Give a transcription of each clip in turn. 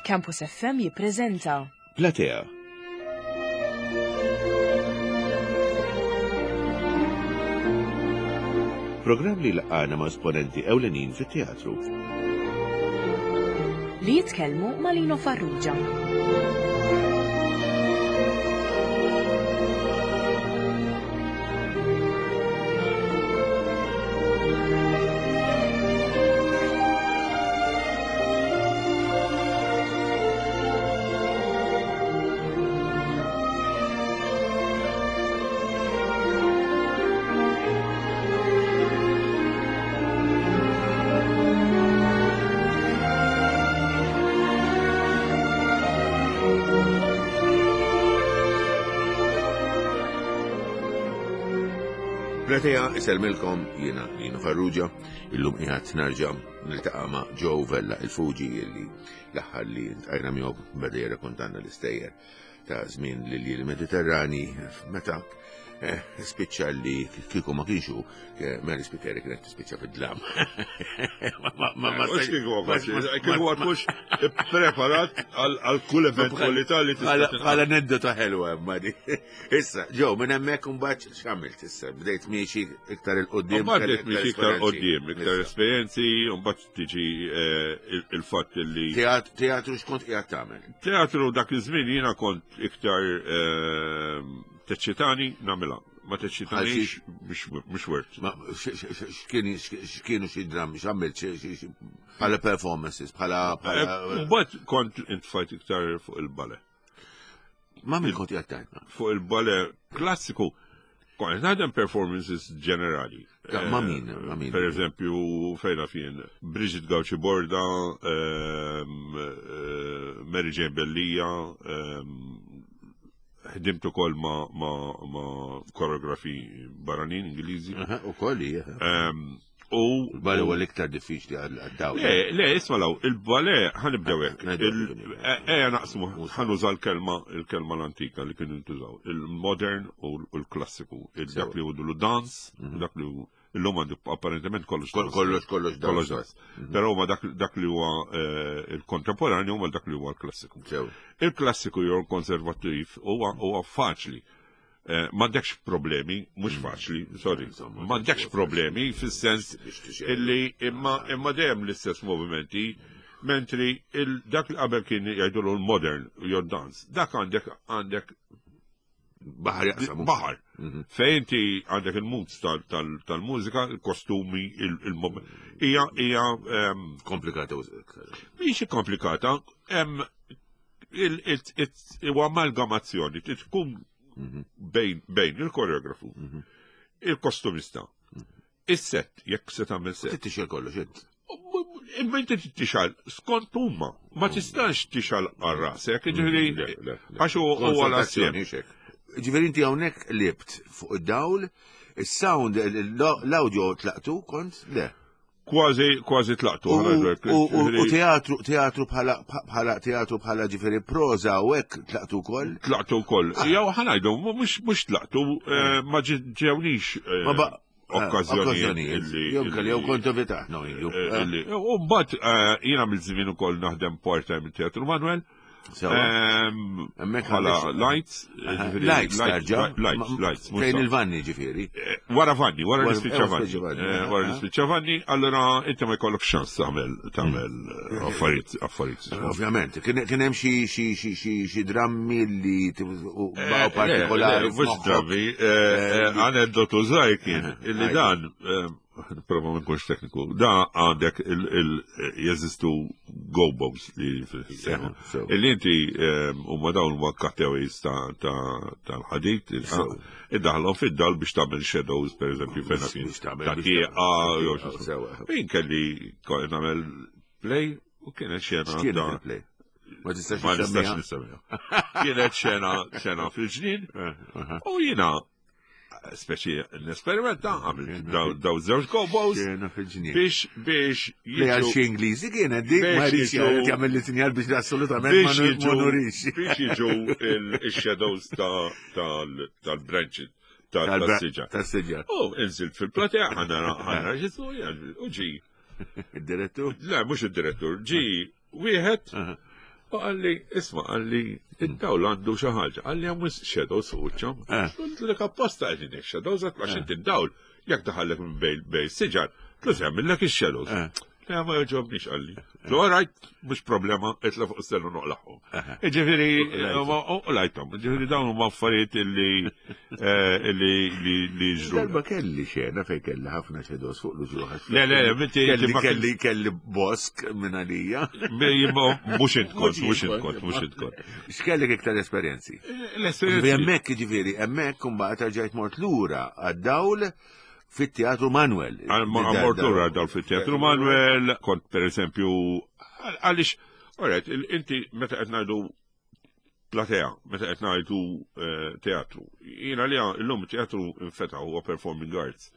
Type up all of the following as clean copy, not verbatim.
Campus FM jippreżenta Platea. Programm li laqgħana ma' esponenti ewlenin fit-teatru. Li jitkellmu ma' Lino Farrugia. Platea iselmilkom jiena Lino Farrugia, illum qiegħed narġa' niltaqa' ma' Joe Vella il-Fuġi illi l-aħħar li ntqajna miegħu beda jirrakontanna l-istejjer ta' żmien lil Mediterrani meta eh, spiċċa li kieku ma kienx hu eh, Mary Spiteri kienet tispiċċa fid-dlam. Ma ma kieku ma tkunx preparat għal kull eventualità li tista' Bħala aneddota ħelwa ma di. Issa, ġew minn hemmhekk imbagħad x'għamilt issa? Bdejt miexi iktar il-qudiem. Mbagħad bdejt miexi iktar qudiem, iktar esperjenzi, u mbagħad tiġi eh, il-fatt li. Teatru x'kont qiegħed tagħmel? Teatru dak iż-żmien jiena kont iktar eh, teċċitani nagħmilha. Ma teċċitanix mhux wert. X'kienu xi drammi, x'għamilt bħala performances, bħala. Eh, mbagħad kont intfajt iktar fuq il-bale. Ma min kont qiegħed tajtna? Fuq il-bale klassiku, kont naħdem performances ġenerali. Ma min, ma min. Per eżempju, fejna fien, Brigitte Gauci Borda, ehm, eh, Mary Jane Bellija, ehm, ħdimt ukoll ma, ma, ma koreografi barranin Ingliżi. Ukoll, ehm, U il-bale huwa l-iktar diffiċli għad-dawl. Le, le, isma' law, il-bale ħanibdew hekk. Ejja naqsmu, ħanuża l-kelma il-kelma l-antika li kienu jintużaw, il-modern u l-klassiku, dak li hu dance, mhm. dak li hu illum għandu apparentement kollox kollox kollox kollox dance. Mhm. Però huma dak li huwa eh, il-kontemporanju huma dak li huwa l-klassiku. Il-klassiku jew il-konservattiv huwa faċli Eh, m'għandekx problemi, mhux mm. faċli, sorry, m'għandekx problemi fis-sens illi imma imma dejjem l-istess movimenti, mentri dak li qabel kien jgħidulu l-modern jew dance, dak għandek għandek Baħar jaqsam. Baħar. Mhm. Fejn inti għandek il-moods tal-mużika, il-kostumi, il-moment. Hija hija ehm, komplikata. Mhix komplikata, hemm huwa amalgamazzjoni tkun mhm. bejn il-koreografu, mhm. il-kostumista, mhm. is-set, jekk se tagħmel set. Tixel kollox int. Imma inti tixal skont huma, ma tistax tixal għal rasek, ġifieri għax huwa l-assjem. Ġifieri inti hawnhekk libt fuq id-dawl, is-sound, l-audio tlaqtu kont? Le. Kważi, kważi tlaqtu. U teatru, teatru bħala, bħala, teatru bħala ġifiri proza u hekk tlaqtu wkoll? Tlaqtu wkoll. Ah. Jew ħanajdu, mhux tlaqtu, eh, ma ġewniex eh, eh, okkażjonijiet. Jew kelli jew kontu vitaħ, no, U mbagħad jiena mill-żmien ukoll naħdem part-time teatru Manuel. Ehm, bħala lights. Lights, tarġa. Lights, lights. Fejn il-vanni ġifiri. Eh, wara vanni, wara l-ispiċċa vanni. Eh, wara l-ispiċċa vanni, allora inti ma jkollok xans tagħmel tagħmel eh, affarijiet affarijiet. Ovvjament, kien hemm xi drammi li baqgħu partikolari. Mhux drammi, aneddotu żgħir kien illi dan Prova ma nkunx tekniku. Da għandek jeżistu go-bows li seħu. Illi inti ehm, u ma dawn ma cutaways tal-ħadid, iddaħlhom fid-dal biex tagħmel shadows, per eżempju, fejn kien ta' tieqa, jew Min kelli nagħmel play u kienet xena. X'kienet il-play? Ma tistax ma nistax nissemmiha. Kienet xena xena fil-ġnien eh, u jiena speċi n-esperimenta għamil daw żewġ gobos biex biex li għal xi Ingliżi kienet dik ma jridx jagħmel li sinjal biex assolutament ma nurix. Biex jiġu il-shadows tal-branches tal-siġa. Tas-siġa. U inżilt fil-platea ħana ħana ġisu u ġi. Id-direttur? Le, mhux id-direttur, ġi wieħed. U qalli, isma', qalli, id-dawl għandu xi ħaġa, qalli hemm wisq shadows fuq wiċċhom. Għedtlek apposta qegħdin hekk shadows għax inti d-dawl jekk daħallek minn bejn siġar, tlus jagħmillek ix-shadows. Le ma jogħġobniex qalli. Lu alright, mhux problema, itla' fuq is-sellu noqlaħħom. Ġifieri, u lajthom, ġifieri dawn huma affarijiet illi illi li ġru. Darba kelli xena fejn kelli ħafna shadows fuq l-uġuħ. Le, le, le, kelli kelli kelli bosk minn għalija. Mhux int kont, mhux int kont, mhux int kont. X'kellek iktar esperjenzi? L-esperjenzi. Hemmhekk ġifieri, hemmhekk imbagħad rġajt mort lura għad-dawl fit-Teatru Manuel. Mort lura għad-dawl fit-Teatru Manuel, kont per eżempju, għaliex, alright, inti meta qed ngħidu platea, meta qed ngħidu teatru. Jiena li llum teatru infetaħ huwa performing arts.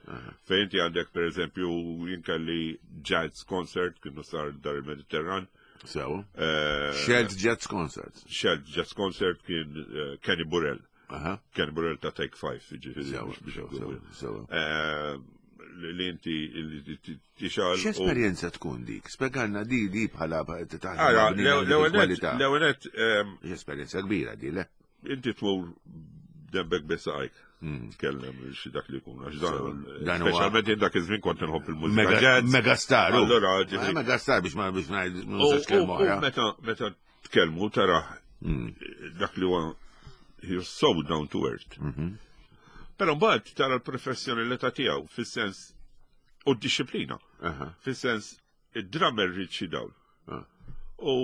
Fejn inti għandek per eżempju jien kelli jazz concert kienu sar dar il-Mediterran. Sew. Shelled Jazz Concert. Shelled Jazz Concert kien Kenny Burrell. Kenny Burrell ta' Take Five, ġifieri. Sew. Li inti tixal. X'esperjenza tkun dik? Spjegalna di di bħala taħdem. L-ewwel Esperjenza kbira di, le? Inti tmur dembek besajk. Tkellem xi dak li jkun għax dan speċjalment jien dak iż-żmien kont inħobb il-mużika. Megastar. Allura ġifieri. Megastar biex ma biex ngħid nistax kelma oħra. Meta meta tkellmu tara dak li huwa he's so down to earth. Però mbagħad tara l-professjonalità tiegħu fis-sens u d-disciplina. Fis-sens id-drummer ried xi dawl. U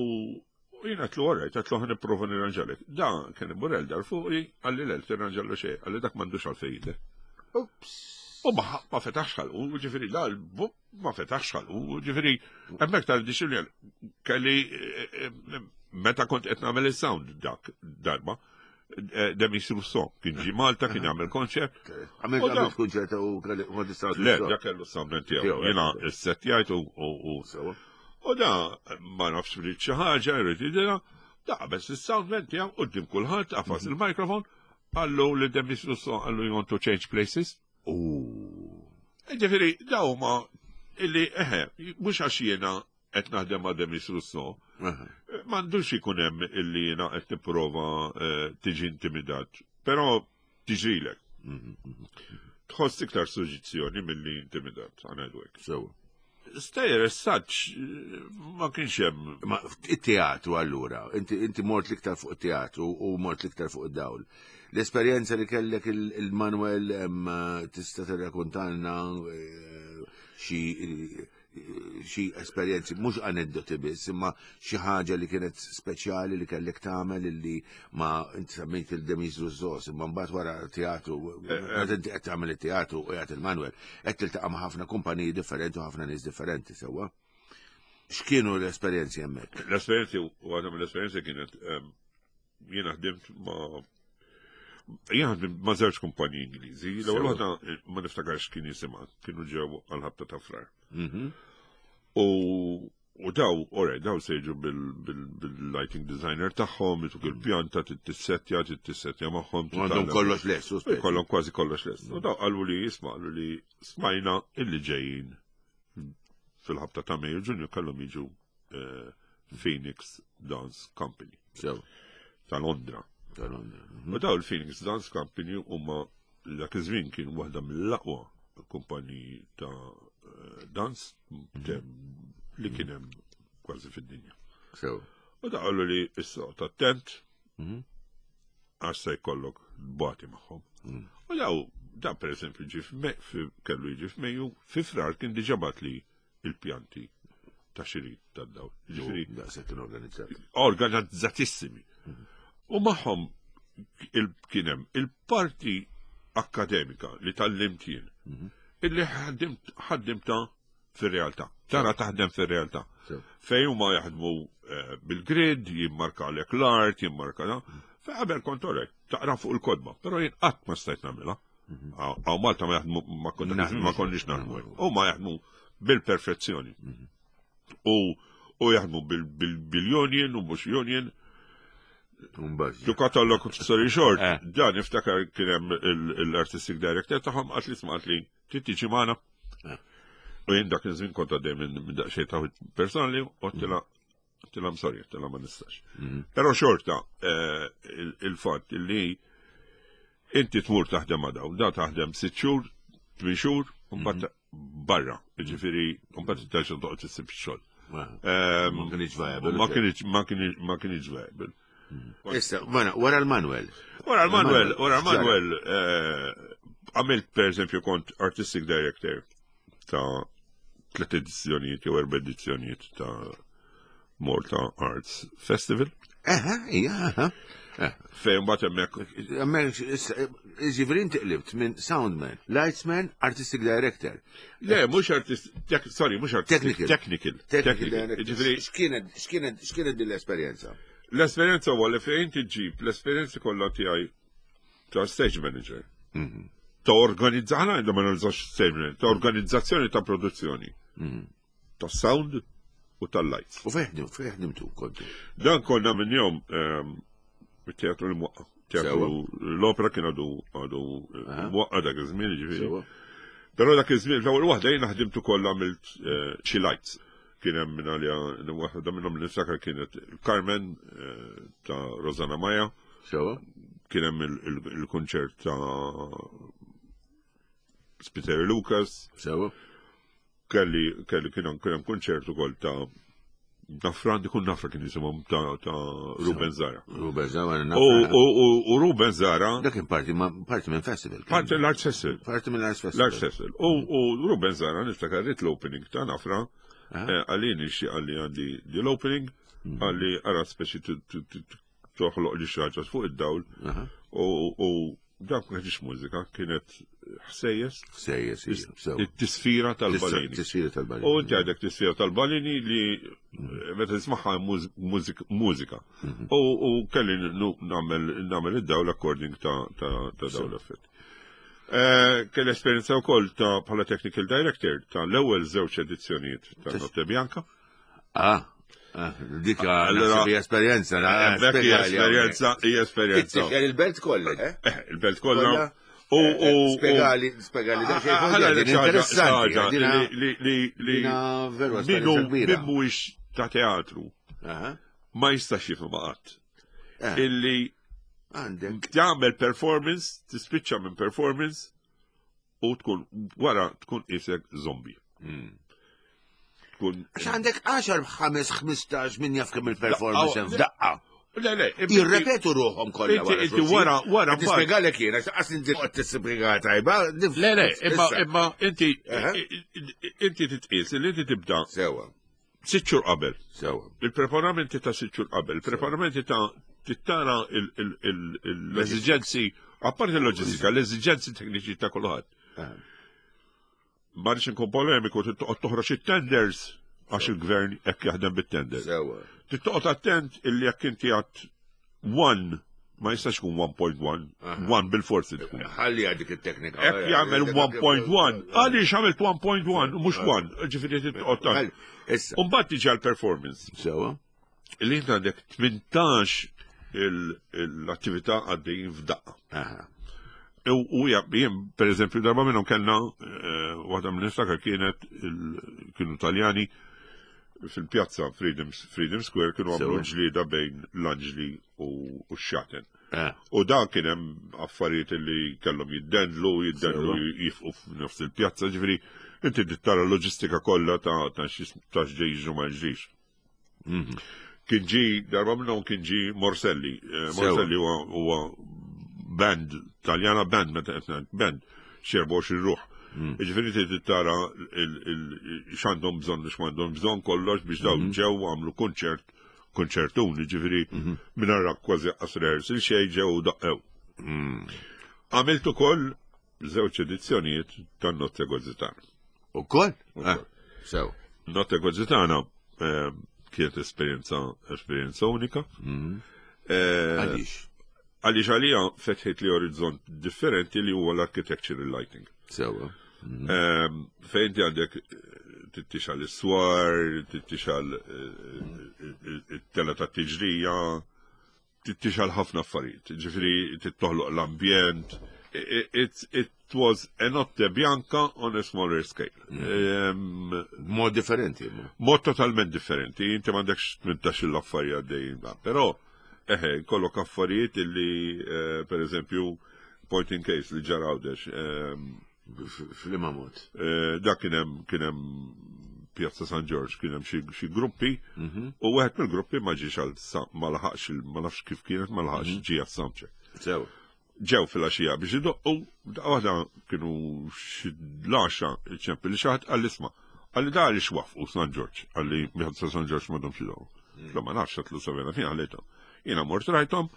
jiena għedtlu all right, għedtlu ħa nipprova nirranġalek. Da kien Burrell dar fuqi, qalli le tirranġallu xejn, qalli dak m'għandux għalfejn jidher. Ups. U ma fetaħx ħalqu, ġifieri da ma fetaħx ħalqu, ġifieri hemmhekk tal-disciplina kelli meta kont qed nagħmel is-sound dak darba. Demis Rousseau kien ġi Malta kien jagħmel konċert. Għamil għamil konċert u kelli kont is-sound. Le, dak kellu s-sound tiegħu. Jiena s-settjajt u u da ma nafx rrid xi ħaġa, jrid jidilha, da qabes is-soundman tiegħu quddiem kulħadd qafas il-mikrofon, qallu li Demis Rousseau qallu you want to change places. Ġifieri daw huma illi eħe, mhux għax jiena qed naħdem ma' Demis Rousseau, m'għandux ikun hemm illi jiena qed nipprova tiġi intimidat, però tiġrilek. Tħoss iktar suġġizzjoni milli intimidat, għanajdu hekk. Sewa. Stejjer as such ma kienx hemm. Ma it-teatru allura, inti mort l-iktar fuq it-teatru u mort l-iktar fuq id-dawl. L-esperjenza li kellek il-Manuel tista' tirrakontalna xi xi esperjenzi, mhux aneddoti biss, imma xi ħaġa li kienet speċjali li kellek tagħmel illi ma inti semmejt il-Demis Rousseau, imma mbagħad wara teatru, meta inti qed tagħmel it-teatru u qiegħed il-Manuel, qed tiltaqa' ma' ħafna kumpaniji differenti u ħafna nies differenti sewwa. X'kienu l-esperjenzi hemmhekk? L-esperjenzi, waħda mill-esperjenzi kienet jiena ħdimt ma' Jien ħdimt ma' żewġ kumpaniji Ingliżi, l-ewwel waħda ma niftakarx kien jisimha, kienu ġew għal-ħabta ta' frar. U daw, ora, daw se jiġu bil-lighting designer tagħhom, jituk il-pjanta, tissettja, tissettja magħhom. Għandhom kollox lest. Kollhom kważi kollox lest. U daw qalu li jisma' qalu li smajna illi ġejjin fil-ħabta ta' Mejju Ġunju kellhom jiġu Phoenix Dance Company. Ta' Londra. Ta' Londra. U daw il-Phoenix Dance Company huma dak iż-żmien kien waħda mill-aqwa kumpaniji ta' dance li kien hemm kważi fid-dinja. U da qalu li issa attent għax se jkollok bati magħhom. U daw, da per eżempju kellu jiġi f'Mejju, fi Frar kien diġà bat li il-pjanti ta' xirid ta' dawl. Ġifieri daqshekk kienu organizzati. Organizzatissimi. U magħhom kien hemm il-parti akkademika li tgħallimt jien, illi ħaddimta fir-realtà. Tara taħdem fir-realtà. Fejn huma jaħdmu bil-grid, jimmarkalek l-art, jimmarka da. Fejn qabel kont orek, taqra fuq il-kodba, però jien qatt ma stajt nagħmilha. Għaw Malta ma jaħdmu ma konniex naħdmu. Huma jaħdmu bil-perfezzjoni. U jaħdmu bil-union u mhux union. To cut a long story short, dan niftakar kien hemm l-artistic director tagħhom qatt li smaqt li trid tiġi magħna. U jien dak iż-żmien kont għaddej minn daqsxejn ta' personali u għedtilha. Għedtilha sorry, għedtilha ma nistax. Però xorta il-fatt li inti tmur taħdem ma' dawn, da taħdem 6 xhur, 8 xhur, u mbagħad barra, jiġifieri mbagħad terġa' toqgħod issib xogħol. Ma kienx viable. Ma kienx ma kienx ma kienx viable. Issa, wara l-Manuel. Wara l-Manuel, wara l-Manuel, għamilt per eżempju kont artistic director ta' tlet edizzjonijiet jew erba' edizzjonijiet ta' Malta Arts Festival. Eħe, ija, eħe. Fejn mbagħad hemmhekk. Hemmhekk jiġifieri inti qlibt minn soundman, lightsman, artistic director. Le, mhux artist, sorry, mhux artistic, technical. Technical. Jiġifieri x'kienet x'kienet x'kienet din l-esperjenza? L-esperjenza huwa li fejn tiġġib l-esperjenza kollha tiegħi ta' stage manager. Ta' organizza, ħana għandhom ma nużax stage manager, ta' organizzazzjoni ta' produzzjoni. Ta' sound u tal-lights. U fejn fejn ħdimtu kontu? Dan konna minn jom it-teatru l-mwaqqa. Teatru l-opera kien għadu għadu mwaqqa dak iż-żmien, ġifieri. Però dak iż-żmien l-ewwel waħda jiena ħdimt ukoll għamilt xi lights. Kien hemm minn għalija waħda minnhom li niftakar kienet Carmen ta' Rosanna Maja. Sewa. Kien hemm il-kunċert ta' Spiteri Lucas. Sewa. Kelli kelli kien hemm kunċert ukoll ta' Nafra, dikun Nafra kien jisimhom ta' Ruben Zara. Ruben Zara. U Ruben Zara. Dak kien parti parti minn festival. Parti l-Arts Festival. Parti minn l-Arts Festival. L-Arts Festival. U Ruben Zara niftakar rrit l-opening ta' Nafra. Għalini xi għalli għandi di l-opening, għalli għara speċi toħloq li xaġa fuq id-dawl. U dak ma kienx mużika, kienet ħsejjes. Ħsejjes, It-tisfira tal-balini. Tisfira tal-balini. U inti għandek tisfira tal-balini li meta tismagħha mużika. U kelli nagħmel id-dawl according ta' dawn l-effetti. Kelli esperjenza wkoll ta' bħala technical director ta' l-ewwel żewġ edizzjonijiet ta' Notte Bianca. Ah, dik hija esperjenza, esperjenza, hija esperjenza. Il-belt kollha, eh? Il-belt kollha. U spjegali, spjegali, interessanti. Li li veru min mhuwiex ta' teatru ma jistax jifhem qatt. Illi għandek tagħmel performance, tispiċċa minn performance u tkun wara tkun isek zombie. Tkun Għax għandek 10, 5, 15 min jaf kemm il-performance f'daqqa. Le, le, Jirrepetu ruħhom kollha. Inti wara, wara. Tispjegalek jien, għax qas inti qed tispjega tajba. Le, le, imma imma inti inti titqies li inti tibda. Sewa. 6 xhur qabel. Sewa. Il-preparamenti ta' 6 xhur qabel, il-preparamenti ta' tittara l-eżiġenzi, apparti l-loġistika, l-eżiġenzi tekniċi ta' kulħadd. Ma rridx inkun polemiku, tittoqgħod toħroġ it-tenders għax il-gvern hekk jaħdem bit-tender. Sewa. Tittoqgħod attent illi jekk inti għat 1 ma jistax ikun 1.1, 1 bil-forsi tkun. Ħalli dik it-teknika. Hekk jagħmel 1.1, għaliex għamilt 1.1 u mhux 1, ġifieri tittoqgħod. Issa. U mbagħad tiġi għall-performance. Sewa. Illi inti għandek 18 l-attività għaddejjin f'daqqa. U jien, per eżempju, darba minnhom kellna, waħda minn niftakar kienet, kienu Taljani, fil-pjazza Freedom, Freedom Square kienu għamlu ġlieda bejn l-anġli u x-xaten. U dan kien hemm affarijiet li kellhom jiddendlu, jiddendlu jifqu f'nofs il-pjazza, ġifieri inti tara l-loġistika kollha ta' x'ġej jiġu ma jiġrix. Kien ġi, darba minnhom kien ġi Morselli. Morselli huwa band, Taljana band, meta qed ngħid band, xi 24 ruħ. Jiġifieri inti trid tara x'għandhom bżonn u x'm'għandhom bżonn kollox biex dawn ġew għamlu kunċert, kunċertun, jiġifieri mingħajr kważi qas rehearsal xejn ġew u daqqew. Għamilt ukoll żewġ edizzjonijiet tan-Notte Gozzitana. Ukoll? Sew. Notte Gozzitana kienet esperjenza esperjenza unika. Għaliex? Għaliex għalija fetħet li orizzont differenti li huwa l-architectural lighting. Sewa. Fejn inti għandek tittixal is-swar, tittixal it-tela ta' tiġrija, tittixal ħafna affarijiet. Ġifieri tittoħloq l-ambjent, It was a notte bianca on a smaller scale. Mm. Mod differenti. Mod totalment differenti. Inti m'għandekx 18 l-affarijiet għaddejjin da. Però, eħe, kollok affarijiet illi, eh, per eżempju, point in case li ġara għawdex. Ehm, Flima mod. Eh, da kien hemm kien hemm Pjazza San Ġorġ kien hemm xi gruppi mhm. u wieħed mill-gruppi ma ġiex għal ma laħaqx ma nafx kif kienet ma laħaqx mhm. ġie għas-soundcheck. Sew. Ġew fil-għaxija biex idoqqu, daqqa waħda kienu xi l-għaxra ċempel li xi ħadd qalli isma' qalli da għaliex waffqu San Ġorġ, qalli Pjazza San Ġorġ m'għadhomx idoqqu. Tlu ma nafx għatlu sabena fien ħallejthom. Jiena mort rajthom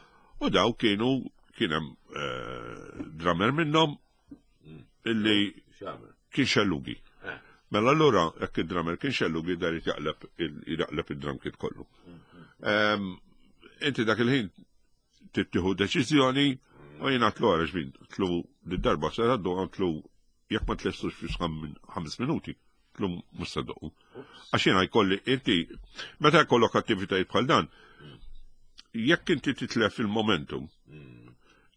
u daw kienu kien hemm eh, drummer minnhom illi kien xellugi. Eh. Mela allura jekk id-drummer kien xellugi dar jaqleb jaqleb id-drum kit kollu. Ehm, inti dak il-ħin tittieħu deċiżjoni u jiena tlu għara xbin, tlu d-darba se għaddu tlu jekk ma tlestux fi ħames minuti, tlu mhux se doqqu. Għax jiena jkolli inti meta jkollok attivitajiet bħal dan, jekk inti titlef il-momentum,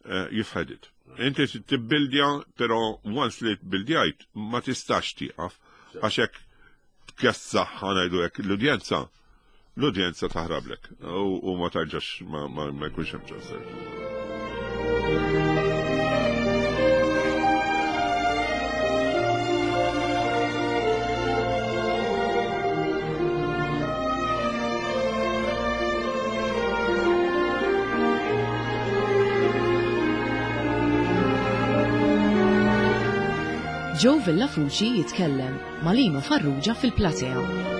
eh, you've had it. Inti tibbildja, però once li tbildjajt ma tistax tieqaf għax hekk tkessaħ ngħidu hekk l-udjenza l-udjenza taħrablek u ma tarġax ma jkunx hemm ċans. Joe Villafuci jitkellem ma' Lino Farrugia fil-platea.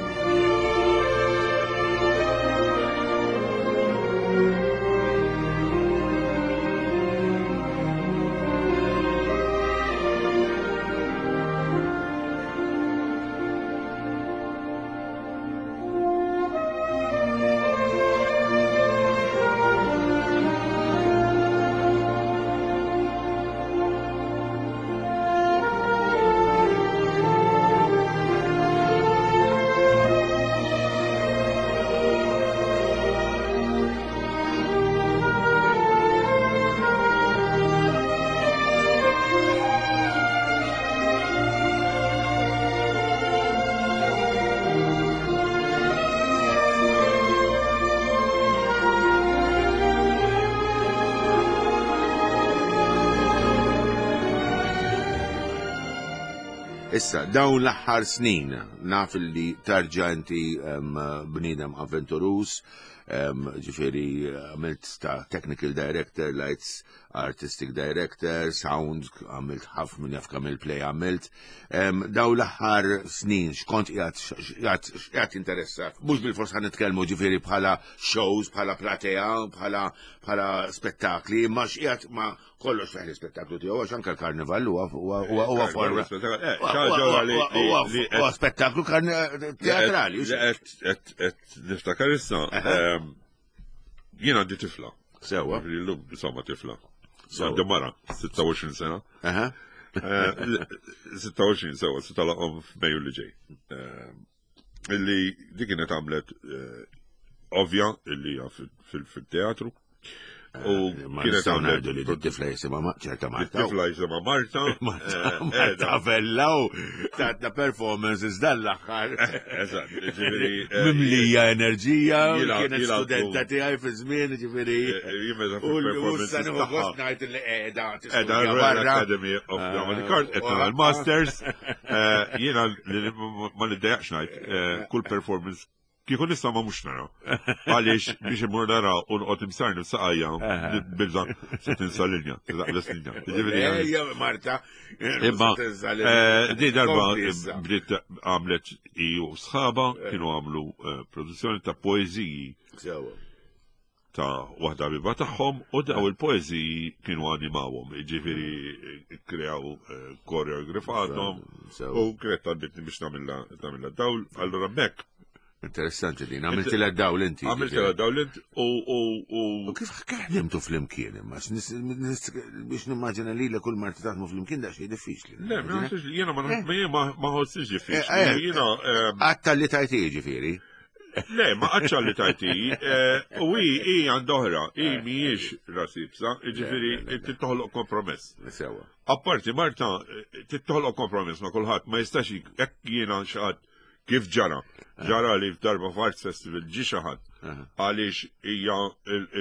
Issa, dawn l-aħħar snin, naf li tarġa inti bniedem avventurus, ġifieri għamilt ta' technical director, lights artistic director, sound, għamilt ħafna minn jaf kemm il-play għamilt. Daw l-aħħar snin x'kont qiegħed x'qiegħed interessat. Mhux bil-fors ħan nitkellmu ġifieri bħala shows, bħala platea, bħala bħala spettakli, imma x'qiegħed ma kollox fih l-ispettaklu tiegħu għax anke l-karnival huwa huwa forma. Huwa spettaklu teatrali. Qed niftakar issa Jien għandi tifla. Sewa. Illum insomma tifla. Għandi mara, 26 sena. 26 eh, sewa, se talaqhom f'Mejju li ġej. Eh, illi dik kienet għamlet eh, ovvja illi fil-teatru. U kienet għamlet li tifla jisimha ċerta Marta. Tifla jisimha Marta. Eh, Marta Vella u tatna performances dan l-aħħar. Eżatt, ġifieri. Eh, Mimlija enerġija, kienet studenta tiegħi fi żmien, ġifieri. U issa nieħu gost ngħid li qiegħda Qiegħda Royal Academy of Dramatic Art, qed nagħmel masters. Jiena ma niddejjaqx ngħid kull performance Kieku nista' ma mhux nara. Għaliex biex imur nara u noqgħod imsarni f'saqajja bilza se tinsa linja, taqbes linja. Ejja Marta. Imma eh, di darba bdiet għamlet i u sħaba kienu għamlu eh, produzzjoni ta' poeżiji ta' waħda biba tagħhom u daw il-poeżiji kienu animawhom, jiġifieri kreaw eh, koreografatom u kienet talbitni biex nagħmilha dawl, allura mek. Interessanti din, għamiltilha dawl inti. Għamiltilha dawl inti u u u. U kif ħdimtu flimkien imma biex nimmaġina li kull marti taħdmu flimkien daqsxejn diffiċli. Le, jiena ma ma ħossix diffiċli. Eh, eh, jiena. Għatta li tajti ġifieri. Le, ma qatx għalli tajti, eh, u hi hi għand oħra, hi eh. mhijiex rasibsa, jiġifieri inti toħloq kompromess. Sewa. Apparti Marta, eh, tittoħloq kompromess ma' kulħadd, ma jistax hekk jiena xi kif ġara. Ġara li f'darba f'Arts Festival ġi xi ħadd għaliex hija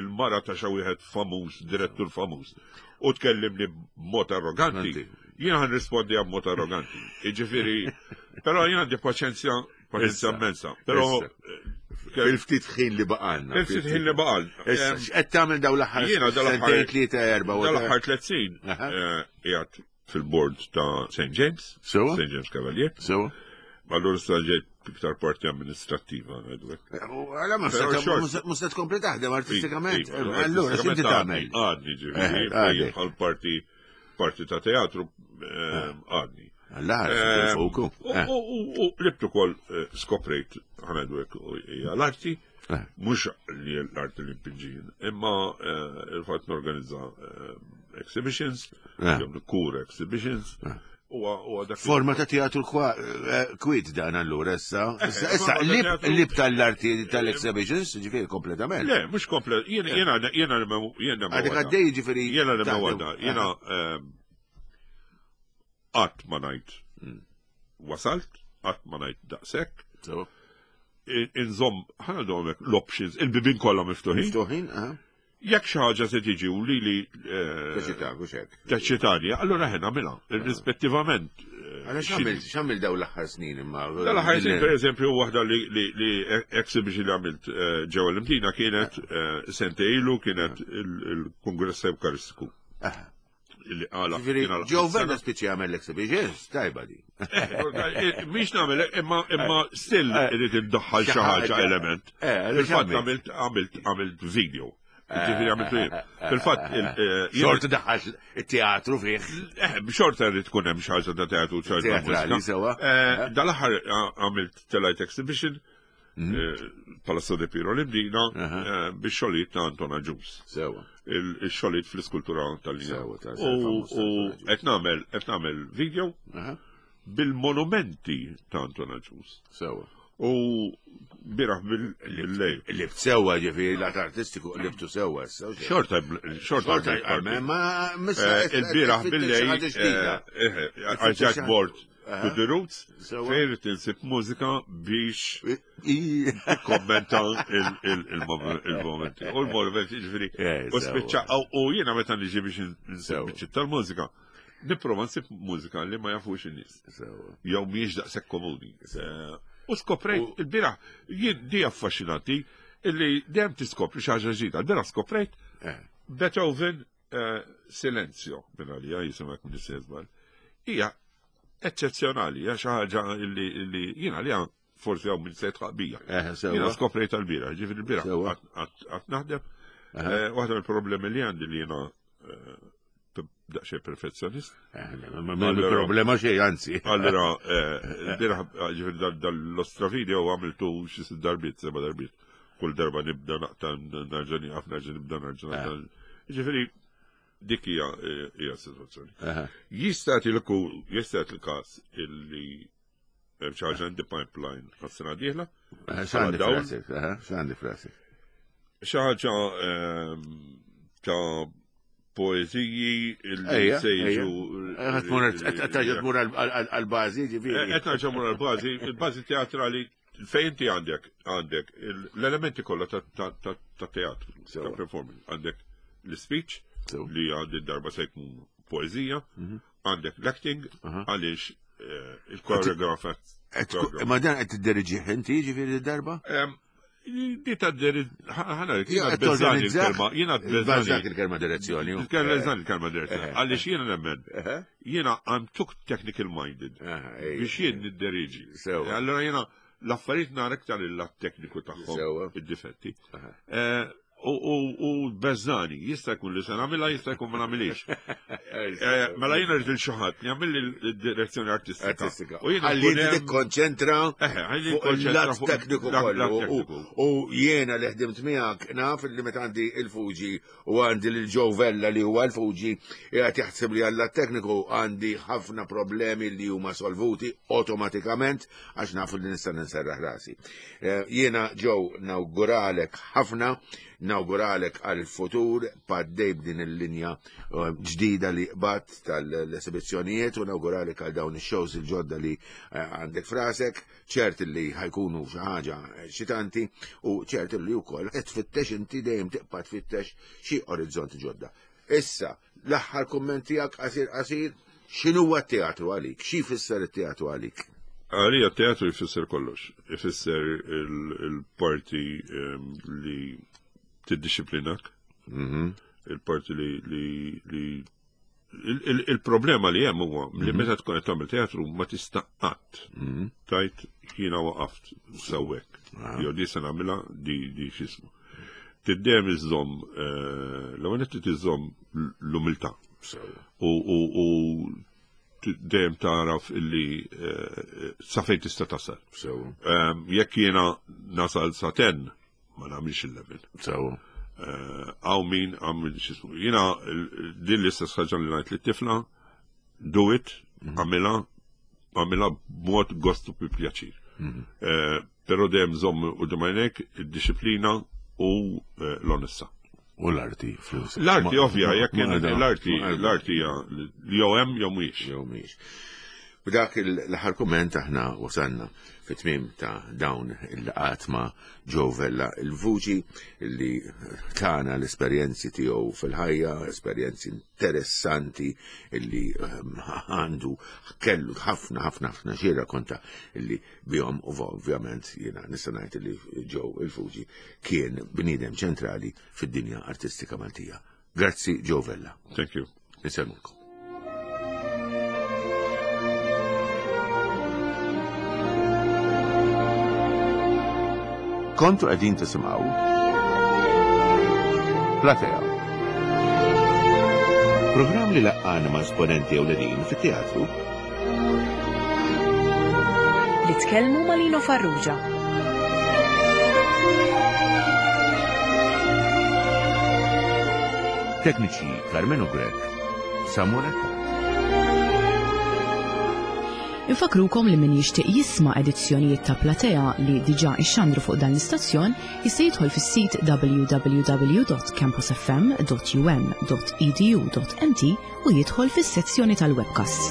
il-mara ta' xi wieħed famuż, direttur famuż, u tkellimni b'mod arroganti. Jiena ħan rispondi b'mod arroganti. Jiġifieri, però jien għandi paċenzja Paċenzja immensa. Però Il-ftit ħin li baqalna. Il-ftit ħin li baqalna. Issa, x'qed tagħmel dawn l-aħħar Jiena dal-aħħar tlieta erba' Dal-aħħar 30 eh, qiegħed fil-board ta' St. James. St. James Cavalier. Sewa. Allura issa ġejt iktar parti amministrattiva ngħidu hekk. Eh, għala ma se tkompli taħdem artistikament. Eh, allura x'inti tagħmel? Għadni ġifieri bħal parti parti ta' teatru għadni. Alla, fuku. U libt ukoll eh, skoprejt ħanajdu hekk hija l-arti, eh. mhux li l-arti li npinġin, imma eh, il-fatt norganizza exhibitions, jew nikkura exhibitions. Forma ta' teatru kwiet dan allura issa. Issa lib tal-arti tal-exhibitions, ġifieri kompletament. Le, mhux komplet, jiena jiena jiena jiena Għadek għaddej ġifieri. Jiena li ma jiena Qatt ma ngħid hmm. wasalt, qatt ma ngħid daqshekk. Inżomm ħana domek l-options, il-bibin kollha miftuħin. Miftuħin, Jekk xi ħaġa se tiġi u li li eh, hekk. Teċċitani, allura ħena nagħmilha, irrispettivament. Eh, Għala x'għamil daw l-aħħar snin imma. Dal-aħħar snin pereżempju waħda li exhibition li għamilt eh, ġewwa l-Imdina kienet sentejn ilu kienet il-Kungress Ewkaristiku. Li għala. Ġew Vella spiċi għamel l-exhibitions, tajba di. Eh, eh, mhix nagħmel, imma imma still eh. irid iddaħħal xi ħaġa element. Fil-fatt għamilt għamilt għamilt video. Ġifieri għamilt video. Fil-fatt xorta daħħal it-teatru fih. Xorta rrid tkun hemm xi ħaġa ta' teatru ċarta. Sewa. Dal-aħħar għamilt telajt exhibition Mhm. Eh, Palazzo de Piro li bdina eh, biex xogħlijiet ta' Anton Aġus. Sewa. Il-xogħlijiet fl-iskultura tal-linja. U qed nagħmel qed nagħmel video bil-monumenti ta' Anton Aġus. Sewa. U biraħ bil-lejl. Libt sewa ġifieri l artistiku libtu sewa. Xorta, xorta. Ma eh, il-biraħ bil-lejl. Għalġak bord To the Roots, fejn irid insib mużika biex kommenta il-momenti. U l-momenti ġifieri. Eh, u spiċċa u jiena meta niġi biex insib biċċi tal-mużika, nipprova nsib mużika li ma jafux in-nies. Jew mhijiex daqshekk komuni. Eh, u skoprejt il-bieraħ jien di affaxxinanti illi dejjem tiskopri xi ħaġa ġdida. Il-bieraħ skoprejt eh. Beethoven Eh, silenzio, minn għalija jisimek minn żball. Hija eċċezzjonali, hija xi ħaġa li jiena li forsi hawn minn se tqabija. Eh, jiena skoprejt tal-bira, ġifieri l-bira qatt naħdem. Eh, waħda mill-problemi li għandi li jiena daqsxejn perfezzjonist. Ma problema xejn, anzi. Allura, l-bira ġifieri dal-ostra video għamiltu xi sitt darbiet, seba' darbiet. Kull darba nibda naqta' nerġa' nieqaf, nerġa' nibda nerġa' naqta'. Eh. Ġifieri dik hija hija situazzjoni. Jista' tilku jista' il-każ illi hemm xi ħaġa in the pipeline għas-sena dieħla. Eh, x'għandi frasek, eh, x'għandi frasek. Xi ħaġa ehm, ta' poeziji li se jiġu. Qed terġa' tmur għall-bażi, ġifieri. Qed nerġa' mur għall-bażi, il-bażi teatrali Fejn inti għandek għandek l-elementi kollha ta' teatru, ta' performance. Għandek l-speech li għandi darba se jkun poezija, mhm. għandek l-acting għaliex eh, il-koreografa. Ma dan qed tidderiġih inti ġifieri darba? Di ta' ħana, jiena bezzani il-kelma, jiena bezzani il-kelma direzzjoni. Bezzani il-kelma direzzjoni. Għaliex jiena nemmen, jiena I'm too technical minded biex jien nidderiġi. Allora jiena l-affarijiet nara iktar il-lat tekniku tagħhom, id-difetti. Eh, U beżani, jista' jkun li se nagħmilha, jista' jkun ma nagħmilix. Eh, mela jiena rrid il xi ħadd li jagħmel il-direzzjoni artistika. U jiena ħalli tikkonċentra fuq il-lat tekniku kollu. U jiena li ħdimt miegħek naf li meta għandi il-Fuġi u għandi lil Joe Vella li huwa l-Fuġi qiegħed jaħseb li għall tekniku għandi ħafna problemi li huma solvuti awtomatikament għax naf li nista' ninserraħ rasi. Eh, jiena Joe nawguralek ħafna, nawguralek għal-futur paddej b'din il-linja eh, ġdida li qbat tal-esibizzjonijiet u nawguralek għal dawn ix-shows il-ġodda li eh, għandek frasek, ċert li ħajkunu xi ħaġa xitanti u ċert li wkoll qed tfittex inti dejjem tibqa' tfittex xi orizzonti ġodda. Issa, l-aħħar kumment tiegħek qasir qasir, x'inhuwa t-teatru għalik? Xi jfisser it-teatru għalik? Għalija t-teatru jfisser kollox. Ifisser il-parti ehm, li tiddixxiplinak, mhm. il-parti li il-problema li hemm huwa li mhm. meta tkun qed tagħmel teatru ma tista' qatt mhm. tajt jiena waqaft sewwek. Ah. Jew di se nagħmilha di di x'ismu. Tiddejjem iżżomm eh, l-ewwel qed iżżomm l-umiltà. U dejjem taraf illi eh, sa fejn tista' tasal. Ehm, jekk jiena nasal sa ten, ma nagħmilx il-level. Sew. Eh, għaw min għamil xismu. Jiena din l-istess ħaġa li ngħid lit-tifla, do it, mhm. għamilha, għamilha b'mod gostu bi pjaċir. Mhm. Eh, però dejjem żomm u dimajnek id-disciplina u eh, l-onesta. U l-arti. L-arti ovvja, jekk l-arti, l-arti jew hemm jew mhix. Jew mhix. B'dak l-aħħar kumment aħna wasalna fit-tmiem ta' dawn il-laqat ma' Joe Vella il-vuċi li tana l-esperjenzi tiegħu fil-ħajja, esperjenzi interessanti illi ehm, għandu kellu ħafna ħafna ħafna xi konta illi bihom u ovvjament jiena nista' ngħid li Joe il-Fuġi kien bniedem ċentrali fid-dinja artistika Maltija. Grazzi Joe Vella. Thank you. Nisemmulkom. Kontu qegħdin tisimgħu Platea. Programm li laqqana ma' esponenti ewlenin fit-teatru Li tkellmu ma' Lino Farrugia. Tekniċi Carmenu Grech, Samuel Attard. Infakrukom li min jixtieq jisma' edizzjonijiet ta' Platea li diġà ixxandru fuq dan l-istazzjon jista' jidħol fis-sit www.campusfm.um.edu.mt u jidħol fis-sezzjoni tal-webcasts.